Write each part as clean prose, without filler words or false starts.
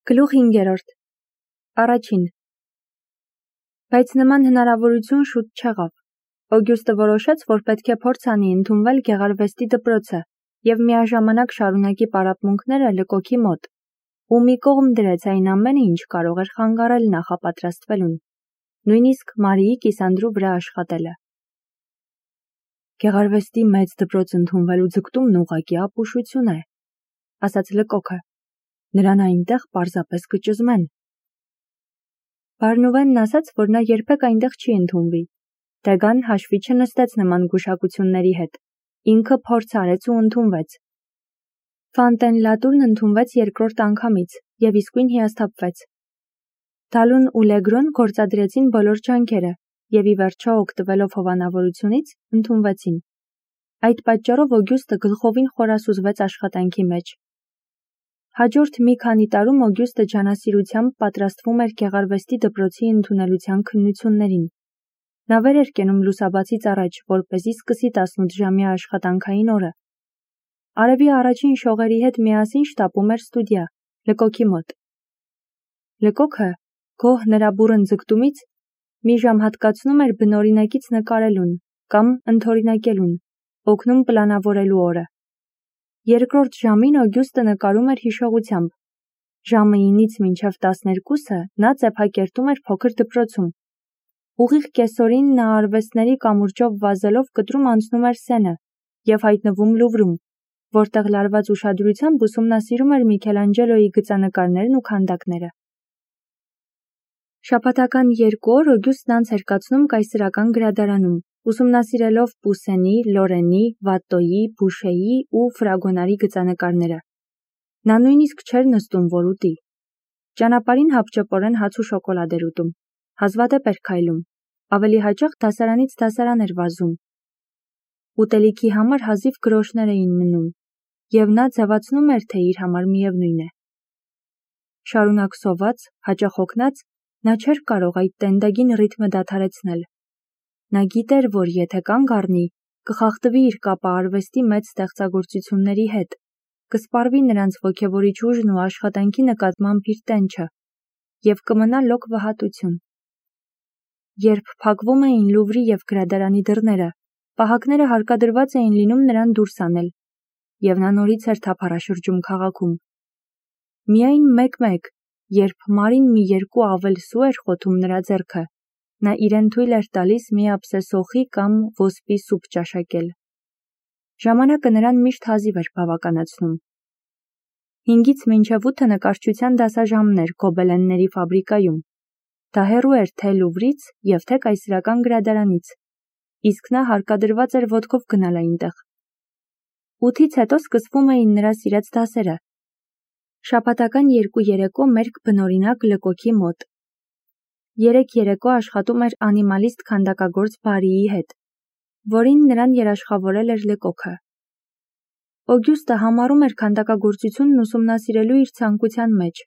Գլուխ 5. Առաջին. Բայց նման հնարավորություն շուտ չեղավ։ Օգյուստը որոշեց, որ պետք է փորձ անի ընդունվել գեղարվեստի դպրոցը և միաժամանակ շարունակի պարապմունքները Լկոքի մոտ, ու մի կողմ դրեց այն ամենը, ինչ կարող էր խանգարել նախապատրաստվելուն, նույնիսկ Մարիի կիսանդրու վրա աշխատելը։ Գեղարվեստի մեծ դպրոց ընդունվելու ձգտումն ուղղակի ապուշություն է, ասաց Լկոքը, նրան այնտեղ պարզապես կճզմեն։ Բարնուվենն ասաց, որ նա երբեք այնտեղ չի ընդունվի։ Դեգան հաշվի չնստեց նման գուշակությունների հետ, ինքը փորձ արեց ու ընդունվեց։ Ֆանտենլատուրն ընդունվեց երկրորդ անգամից և իսկույն հիասթափվեց։ Դալուն ու Լեգրոն գործադրեցին բոլոր ջանքերը և ի վերջո օգտվելով հովանավորությունից ընդունվեցին։ Այդ պատճառով Օգյուստը գլխովին խորասուզվեց աշխատանքի մեջ։ Հաջորդ մի քանի տարում Օգյուստը ջանասիրությամբ պատրաստվում էր գեղարվեստի դպրոցի ընդունելության քննություններին։ Նա վեր էր կենում լուսաբացից առաջ, որպեսզի սկսի 18-ժամյա աշխատանքային օրը։ Արևի առաջին շողերի հետ միասին շտապում էր ստուդիա, Լկոքի մոտ։ Լկոքը, գոհ նրա բուռն ձգտումից, մի ժամ հատկացնում էր բնօրինակից նկարելուն կամ ընդօրինակելուն, օգնում պլանավորելու օրը։ Երկրորդ ժամին Օգյուստը նկարում էր հիշողությամբ։ Ժամը 9-ից մինչև 12-ը նա ծեփակերտում էր փոքր դպրոցում։ Ուղիղ կեսօրին նա արվեստների կամուրջով վազելով կտրում անցնում էր Սենը և հայտնվում Լուվրում, որտեղ լարված ուշադրությամբ ուսումնասիրում էր Միքելանջելոյի գծանկարներն ու քանդակները։ Շաբաթական 2 օր Օգյուստն անց էր կացնում կայսրական գրադարանում, ուսումնասիրելով Պուսենի, Լորենի, Վատտոյի, Բուշեի ու Ֆրագոնարի գծանկարները։ Նա նույնիսկ չէր նստում, որ ուտի։ Ճանապարհին հապճեպորեն հաց ու շոկոլադ էր ուտում, հազվադեպ էր քայլում, ավելի հաճախ դասարանից դասարան էր վազում։ Ուտելիքի համար հազիվ գրոշներ էին մնում, և նա ձևացնում էր, թե իր համար միևնույն է։ Շարունակ սոված, հաճախ հոգնած, նա չէր կարող այդ տենդագին ռիթմը դադարեցնել։ Նա գիտեր, որ եթե կանգ առնի, կխախտվի իր կապը արվեստի մեծ ստեղծագործությունների հետ, կսպառվի նրանց ոգևորիչ ուժն ու աշխատանքի նկատմամբ իր տենչը, և կմնա լոկ վհատություն։ Երբ փակվում էին Լուվրի և գրադարանի դռները, պահակները հարկադրված էին լինում նրան դուրս անել, և նա նորից էր թափառաշրջում քաղաքում։ Միայն մեկ-մեկ, երբ Մարին մի երկու ավել սու էր խոթում նրա ձեռքը, նա իրեն թույլ էր տալիս մի աբսեսոխի կամ ոսպի սուպ ճաշակել։ Ժամանակը նրան միշտ հազիվ էր բավականացնում։ 5-ից մինչև 8 նկարչության դասաժամներ գոբելենների ֆաբրիկայում։ Դա հեռու էր թե Լուվրից և թե կայսրական գրադարանից, իսկ նա հարկադրված էր ոտքով գնալ այնտեղ։ 8-ից հետո սկսվում էին նրա սիրած դասերը։ Շաբաթական 2 երեկո մերկ բնօրինակ Լկոքի մոտ։ 3 երեկո աշխատում էր անիմալիստ քանդակագործ Բարիի հետ, որին նրան երաշխավորել էր Լկոքը։ Օգյուստը համարում էր քանդակագործությունն ուսումնասիրելու իր ցանկության մեջ,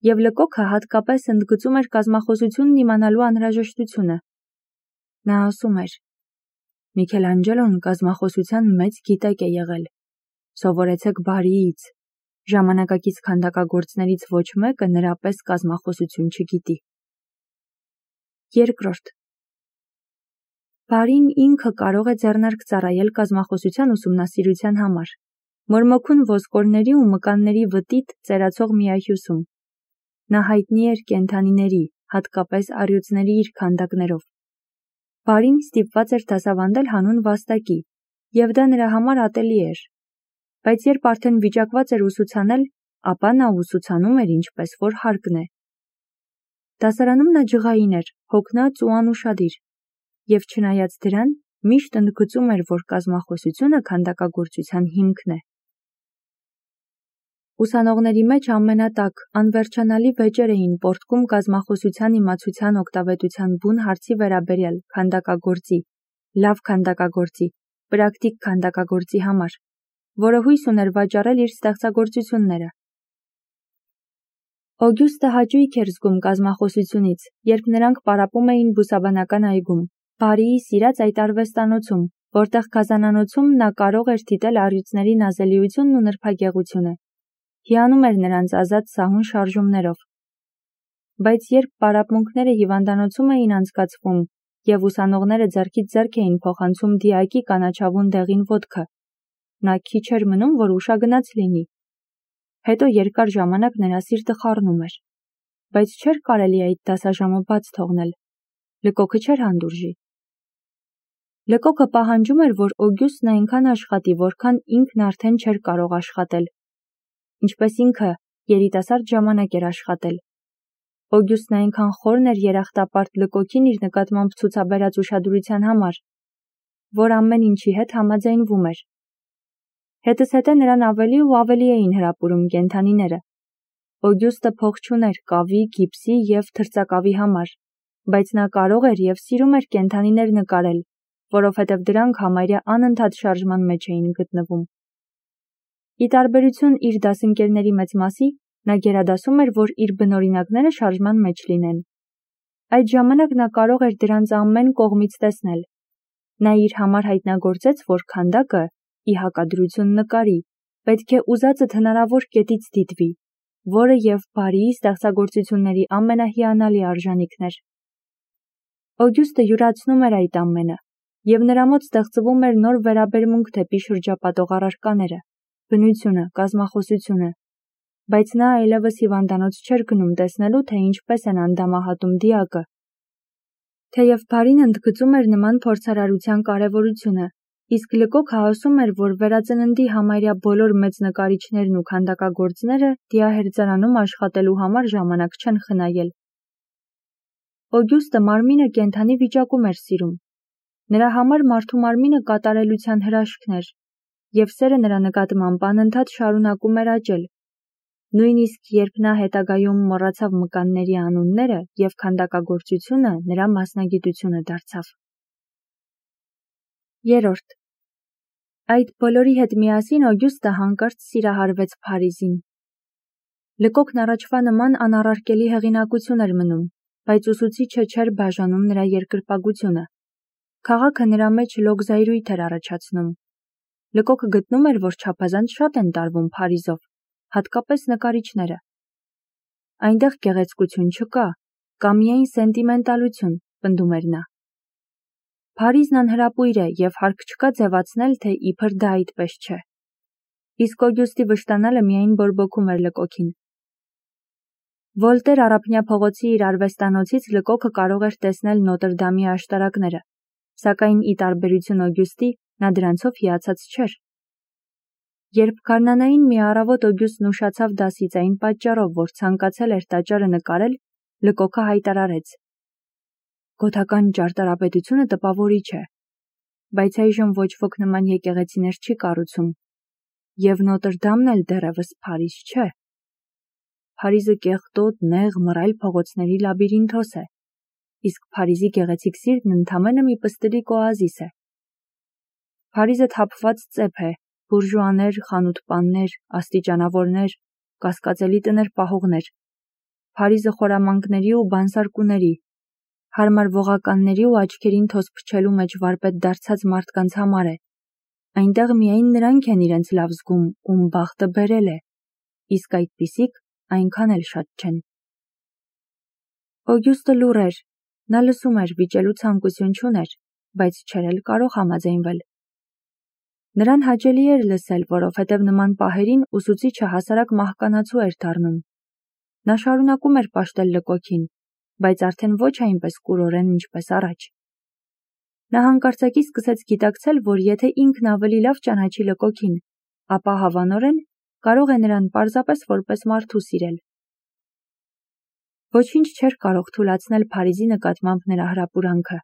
և Լկոքը հատկապես ընդգծում էր կազմախոսությունն իմանալու անհրաժեշտությունը։ Նա ասում էր. Միքելանջելոն կազմախոսության մեծ գիտակ է եղել։ Սովորեցեք Բարիից։ Ժամանակակից քանդակագործներից ոչ մեկը նրա պես կազմախոսություն չգիտի։ Երկրորդ. Բարին ինքը կարող է ձեռնարկ ծառայել կազմախոսության ուսումնասիրության համար, մորմոքուն ոսկորների ու մկանների վտիտ ծերացող միահյուսում։ Նա հայտնի էր կենդանիների, հատկապես առյուծների իր քանդակներով։ Բարին ստիպված էր դասավանդել հանուն վաստակի, և դա նրա համար ատելի էր։ Բայց երբ արդեն վիճակված էր ուսուցանել, ապա նա ուսուցանում էր ինչպես որ հարկն է։ Դասարանում նա ջղային էր, հոգնած ու անուշադիր, և չնայած դրան, միշտ ընդգծում էր, որ կազմախոսությունը քանդակագործության հիմքն է։ Ուսանողների մեջ ամենատաք, անվերջանալի վեճեր էին պոռթկում կազմախոսության իմացության օգտավետության բուն հարցի վերաբերյալ քանդակագործի, լավ քանդակագործի, պրակտիկ քանդակագործի համար, որը հույս ուներ վաճառել իր ստեղծագործությունները։ Օգյուստը հաճույք էր զգում կազմախոսությունից, երբ նրանք պարապում էին բուսաբանական այգում, Բարիի սիրած այդ արվեստանոցում, որտեղ գազանանոցում նա կարող էր դիտել առյուծների նազելիությունն ու նրբագեղությունը, հիանում էր նրանց ազատ սահուն շարժումներով։ Բայց երբ պարապմունքները հիվանդանոցում էին անցկացվում և ուսանողները ձեռքից ձեռք էին փոխանցում դիակի կանաչավուն դեղին ոտքը, նա քիչ էր մնում, որ ուշագնաց լինի։ Հետո երկար ժամանակ նրա սիրտը խառնում էր, բայց չէր կարելի այդ դասաժամը բաց թողնել։ Լկոքը չէր հանդուրժի։ Լկոքը պահանջում էր, որ Օգյուստն այնքան աշխատի, որքան ինքն արդեն չէր կարող աշխատել, ինչպես ինքը երիտասարդ ժամանակ էր աշխատել։ Օգյուստն այնքան խորն էր երախտապարտ Լկոքին իր նկատմամբ ցուցաբերած ուշադրության համար, որ ամեն ինչի հետ համաձայնվում էր։ Հետզհետե նրան ավելի ու ավելի էին հրապուրում կենդանիները։ Օգյուստը փող չուներ կավի, գիպսի և թրծակավի համար, բայց նա կարող էր և սիրում էր կենդանիներ նկարել, որովհետև դրանք համարյա անընդհատ շարժման մեջ էին գտնվում։ Ի տարբերություն իր դասընկերների մեծ մասի, նա գերադասում էր, որ իր բնօրինակները շարժման մեջ լինեն։ Այդ ժամանակ նա կարող էր դրանց ամեն կողմից տեսնել։ Նա իր համար հայտնագործեց, որ քանդակը, ի հակադրություն նկարի, պետք է ուզածդ հնարավոր կետից դիտվի, որը և բարի ստեղծագործությունների ամենահիանալի արժանիքն էր։ Օգյուստը յուրացնում էր այդ ամենը, և նրա մոտ ստեղծվում էր նոր վերաբերմունք դեպի շրջապատող առարկաները, բնությունը, կազմախոսությունը, բայց նա այլևս հիվանդանոց չէր գնում տեսնելու, թե ինչպես են անդամահատում դիակը։ Թեև Փարին ընդգծում էր նման փորձարարության կարևորությունը, իսկ Լկոքը ասում էր, որ վերածննդի համարյա բոլոր մեծ նկարիչներն ու քանդակագործները դիահերձարանում աշխատելու համար ժամանակ չեն խնայել։ Օգյուստը մարմինը կենդանի վիճակում էր սիրում։ Նրա համար մարդու մարմինը կատարելության հրաշքն էր, և սերը նրա նկատմամբ անընդհատ շարունակում էր աճել, նույնիսկ երբ նա հետագայում մոռացավ մկանների անունները և քանդակագործությունը նրա մասնագիտությունը դարձավ։ 3. Այդ բոլորի հետ միասին Օգյուստը հանկարծ սիրահարվեց Փարիզին։ Լկոքն առաջվա նման անառարկելի հեղինակություն էր մնում, բայց ուսուցիչը չէր բաժանում նրա երկրպագությունը։ Քաղաքը նրա մեջ լոգզայրույթ էր առաջացնում։ Լկոքը գտնում էր, որ չափազանց շատ են տարվում Փարիզով, հատկապես նկարիչները։ Այնտեղ գեղեցկություն չկա, կա միայն սենտիմենտալություն, պնդում էր նա։ Փարիզն անհրապույր է և հարկ չկա ձևացնել, թե իբր դա այդպես չէ։ Իսկ Օգյուստի վշտանալը միայն բորբոքում էր Լկոքին։ Վոլտեր առափնյա փողոցի իր արվեստանոցից Լկոքը կարող էր տեսնել Նոտրդամի աշտարակները, սակայն ի տարբերություն Օգյուստի, նա դրանցով հիացած չէր։ Երբ գարնանային մի առավոտ Օգյուստն ուշացավ դասից այն պատճառով, որ ցանկացել էր տաճարը նկարել, Լկոքը հայտարարեց. «Գոթական ճարտարապետությունը տպավորիչ է, բայց այժմ ոչ ոք նման եկեղեցիներ չի կառուցում, և Նոտրդամն էլ դեռևս Փարիզ չէ։ Փարիզը կեղտոտ, նեղ, մռայլ փողոցների լաբիրինթոս է, իսկ Փարիզի գեղեցիկ սիրտն ընդամենը մի պստլիկ օազիս է։ Փարիզը թափված ծեփ է, բուրժուաներ, խանութպաններ, աստիճանավորներ, կասկածելի տներ պահողներ։ Փարիզը խորամանկների ու բանսարկուների, հարմարվողականների ու աչքերին թոս փչելու մեջ վարպետ դարձած մարդկանց համար է։ Այնտեղ միայն նրանք են իրենց լավ զգում, ում բախտը բերել է, իսկ այդպիսիք այնքան էլ շատ չեն»։ Օգյուստը լուռ էր, նա լսում էր, վիճելու ցանկություն չուներ, բայց չէր էլ կարող համաձայնվել։ Նրան հաճելի էր լսել, որովհետև նման պահերին ուսուցիչը հասարակ մահկանացու էր դառնում։ Նա շարունակում էր պաշտել Լկոքին, բայց արդեն ոչ այնպես կուրորեն, ինչպես առաջ։ Նա հանկարծակի սկսեց գիտակցել, որ եթե ինքն ավելի լավ ճանաչի Լկոքին, ապա հավանորեն կարող է նրան պարզապես որպես մարդու սիրել։ Ոչինչ չէր կարող թուլացնել Փարիզի նկատմամբ նրա հրապուրանքը։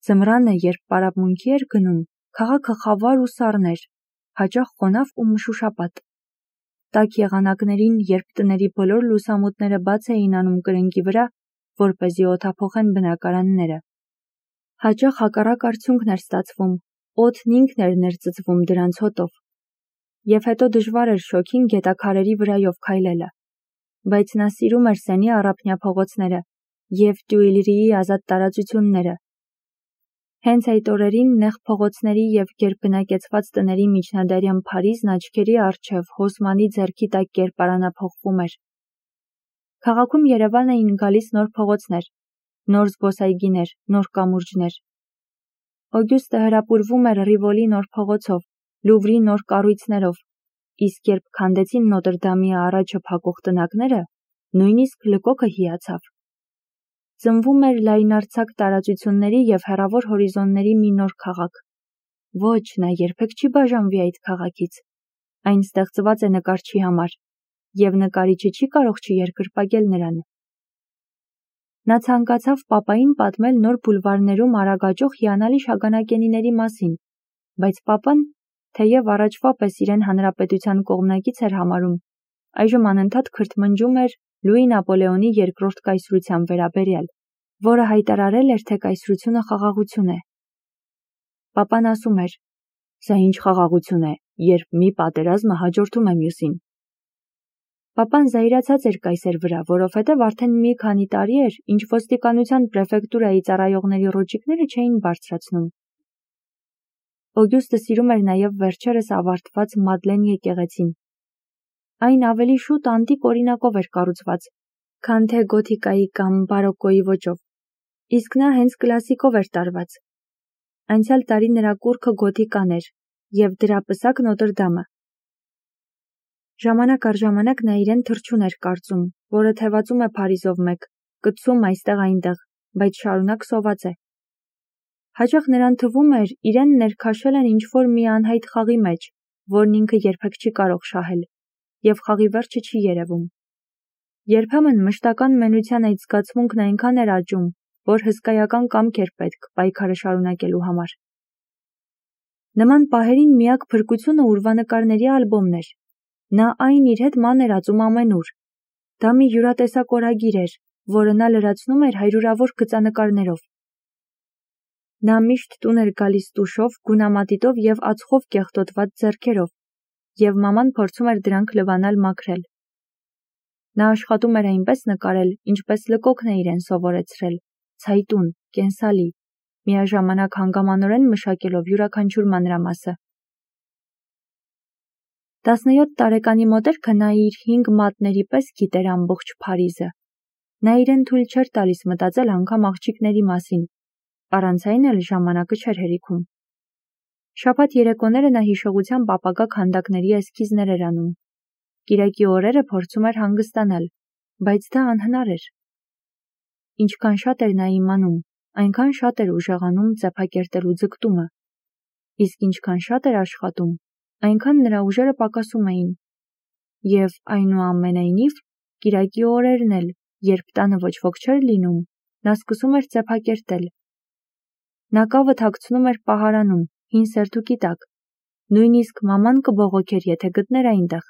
Ձմռանը, երբ պարապմունքի էր գնում, քաղաքը խավար ու սառն էր, հաճախ խոնավ ու մշուշապատ։ Տաք եղանակներին, երբ տների բոլոր լուսամուտները բաց էին անում կրնկի վրա, որպեսզի օդափոխեն բնակարանները, հաճախ հակառակ արդյունքն էր ստացվում, օդն ինքն էր ներծծվում դրանց հոտով, և հետո դժվար էր շոգին գետաքարերի վրայով քայլելը, բայց նա սիրում էր Սենի առափնյա փողոցները և Տյուիլրիի ազատ տարածությունները։ Հենց այդ օրերին նեղ փողոցների և գերբնակեցված տների միջնադարյան Փարիզն աչքերի առջև Հոսմանի ձեռքի տակ կերպարանափոխվում էր։ Քաղաքում Երևան էին գալիս նոր փողոցներ, նոր զբոսայգիներ, նոր կամուրջներ։ Օգյուստը հրապուրվում էր Ռիվոլի նոր փողոցով, Լուվրի նոր կառույցներով, իսկ երբ քանդեցին Նոտրդամի առաջը փակող տնակները, նույնիսկ լկոկը հիացավ։ Ծնվում էր լայնարձակ տարածությունների և հեռավոր հորիզոնների մի նոր քաղաք։ Ոչ, նա երբեք չի բաժանվի այդ քաղաքից։ Այն ստեղծված է նկարչի համար, և նկարիչը չի կարող չերկրպագել նրան։ Նա ցանկացավ պապային պատմել նոր բուլվարներում արագ աճող հիանալի շագանակենիների մասին, բայց պապան, թեև առաջվա պես իրեն հանրապետության կողմնակից էր համարում, այժմ անընդհատ քրթմնջում էր Լուի Նապոլեոնի երկրորդ կայսրության վերաբերյալ, որը հայտարարել էր, թե կայսրությունը խաղաղություն է։ Պապան ասում էր. «Սա ինչ խաղաղություն է, երբ մի պատերազմը հաջորդում է մյուսին»։ Պապան զայրացած էր կայսեր վրա, որովհետև արդեն մի քանի տարի էր, ինչ ոստիկանության պրեֆեկտուրայի ծառայողների ռոճիկները չէին բարձրացնում։ Օգյուստը սիրում էր նաև վերջերս ավարտված Մադլեն եկեղեցին։ Այն ավելի շուտ անտիկ օրինակով էր կառուցված, քան թե գոթիկայի կամ բարոկկոյի ոճով, իսկ նա հենց կլասիկով էր տարված։ Անցյալ տարի նրա կուռքը գոթիկան էր, և դրա պսակ Նոտրդամը։ Ժամանակ առ ժամանակ նա իրեն թռչուն էր կարծում, որը թևածում է Փարիզով մեկ, կծում այստեղ-այնտեղ, բայց շարունակ սոված է։ Հաճախ նրան թվում էր, իրեն ներքաշել են ինչ-որ մի անհայտ խաղի մեջ, որն ինքը երբեք չի կարող շահել, և խաղի վերջը չի երևում։ Երբեմն մշտական մենության այդ զգացմունքն այնքան էր աճում, որ հսկայական կամք էր պետք պայքարը շարունակելու համար։ Նման պահերին միակ փրկությունը ուրվանկարների ալբոմն էր։ Նա այն իր հետ ման էր ածում ամենուր։ Դա մի յուրատեսակ օրագիր էր, որը նա լրացնում էր հարյուրավոր գծանկարներով։ Նա միշտ տուն էր գալիս տուշով, գունամատիտով և ածխով կեղտոտված ձեռքերով, և մաման փորձում էր դրանք լվանալ մաքրել։ Նա աշխատում էր այնպես նկարել, ինչպես լկոկն է իրեն սովորեցրել, ցայտուն, կենսալի, միաժամանակ հանգամանորեն մշակելով յուրաքանչյուր մանրամասը։ 17 տարեկանի մոտերքը նա իր 5 մատների պես գիտեր ամբողջ Փարիզը։ Նա իրեն թույլ չէր տալիս մտածել անգամ աղջիկների մասին, առանց այն էլ ժամանակը չէր հերիքում։ Շաբաթ երեկոները նա հիշողությամբ ապագա քանդակների էսքիզներ էր անում։ Կիրակի օրերը փորձում էր հանգստանալ, բայց դա անհնար էր։ Ինչքան շատ էր նա իմանում, այնքան շատ էր ուժեղանում ծեփակերտելու ձգտումը, իսկ ինչքան շատ էր աշխատում, այնքան նրա ուժերը պակասում էին։ Եվ այնուամենայնիվ, կիրակի օրերն էլ, երբ տանը ոչ ոք չէր լինում, նա սկսում էր ծեփակերտել։ Նա կավը թաքցնում էր պահարանում, հին սերթուկի տակ, նույնիսկ մաման կբողոքեր, եթե գտներ այնտեղ։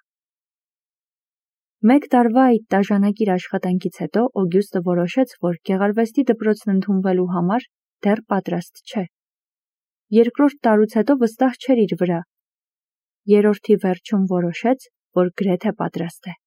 Մեկ տարվա այդ տաժանակիր աշխատանքից հետո Օգյուստը որոշեց, որ գեղարվեստի դպրոցն ընդունվելու համար դեռ պատրաստ չէ։ Երկրորդ տարուց հետո վստահ չէր իր վրա։ Երրորդի վերջում որոշեց, որ գրեթե պատրաստ է։